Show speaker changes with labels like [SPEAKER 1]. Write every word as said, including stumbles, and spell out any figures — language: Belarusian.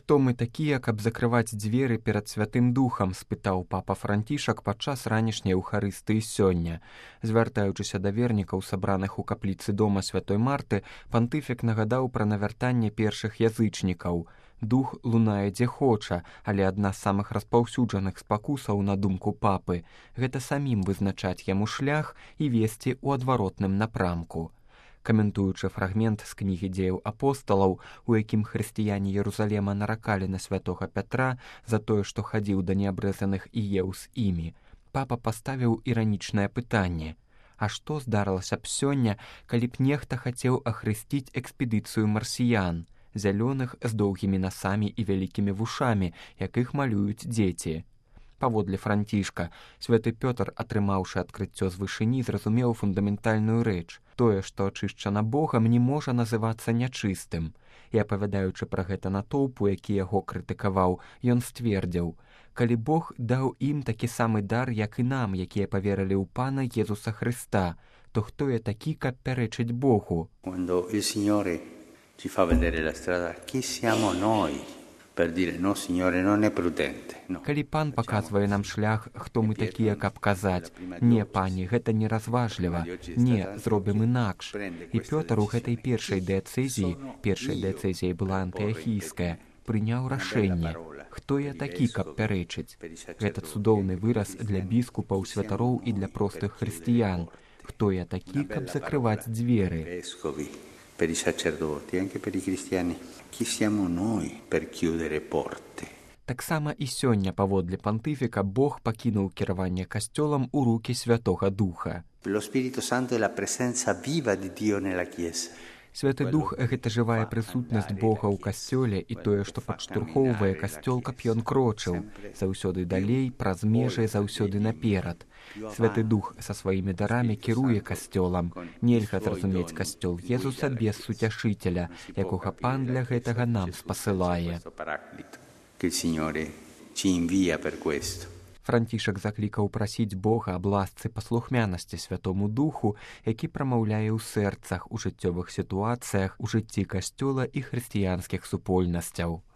[SPEAKER 1] Хто мы такія, каб закрываць дзверы перад Святым Духам, спытаў папа Францішак падчас ранішняй Еўхарыстыі сёння. Звяртаючыся да вернікаў, сабраных у капліцы дома Святой Марты, пантыфік нагадаў пра навяртанне першых язычнікаў. Дух лунае дзе хоча, але адна з самых распаўсюджаных спакусаў, на думку папы, гэта самім вызначаць яму шлях і весці ў адваротным напрамку. Каментуючы фрагмент з кнігі дзеяў апосталаў, у якім хрысціяне Єрусалема наракалі на святога Пятра за тое, што хадзіў да неабрэзаных і еў з імі, папа паставіў іранічнае пытанне: а што здарылася б сёння, калі б нехта хацеў ахрысціць экспедыцыю марсіян, зялёных з доўгімі насамі і вялікімі вушамі, якіх малююць дзеці? Паводле Францішка, святы Пётр, атрымаўшы адкрыццё з вышыні, зразумеў фундаментальную рэч: тое, што ачышчана Богам, не можа называцца нячыстым. І апавядаючы пра гэта натоўпу, які яго крытыкаваў, ён сцвердзіў: калі Бог даў ім такі самы дар, як і нам, якія паверылі ў Пана Езуса Христа, то хто я такі, каб пярэчыць Богу?
[SPEAKER 2] Quando il Signore ci fa vedere la strada, chi siamo noi? Per dire, no, Signore, non è prudente. No.
[SPEAKER 1] Калі пан паказвае нам шлях, хто мы такія, каб казаць: не, пані, гэта неразважліва, не, зробім інакш. І Пётр у гэтай першай дыяцэзіі, першай дыяцэзіяй была антыахійская, прыняў рашэнне: хто я такі, каб пярэчыць? Гэта цудоўны выраз для біскупаў, святароў і для простых хрысціян. Хто я такі, каб закрываць дзверы?
[SPEAKER 2] Per i sacerdoti, anche per i cristiani, chi siamo noi per chiudere porte?
[SPEAKER 1] Таксама і сёння, паводле пантыфіка, Бог пакінуў кіраванне касцёлам у рукі Святога Духа.
[SPEAKER 2] Lo Spirito Santo è la presenza viva di Dio nella Chiesa.
[SPEAKER 1] Святы Дух – гэта жывая прысутнасць Бога ў касцёле і тое, што падштурхоўвае касцёл, каб ён крочыў заўсёды далей, праз межы, заўсёды наперад. Святы Дух са сваімі дарамі кіруе касцёлам. Нельга зразумець касцёл Езуса без суцяшыцеля, якога Пан для гэтага нам спасылае. Францішак заклікаў прасіць Бога аб ласцы паслухмянасці Святому Духу, які прамаўляе ў сэрцах, у жыццёвых сітуацыях, у жыцці касцёла і хрысціянскіх супольнасцяў.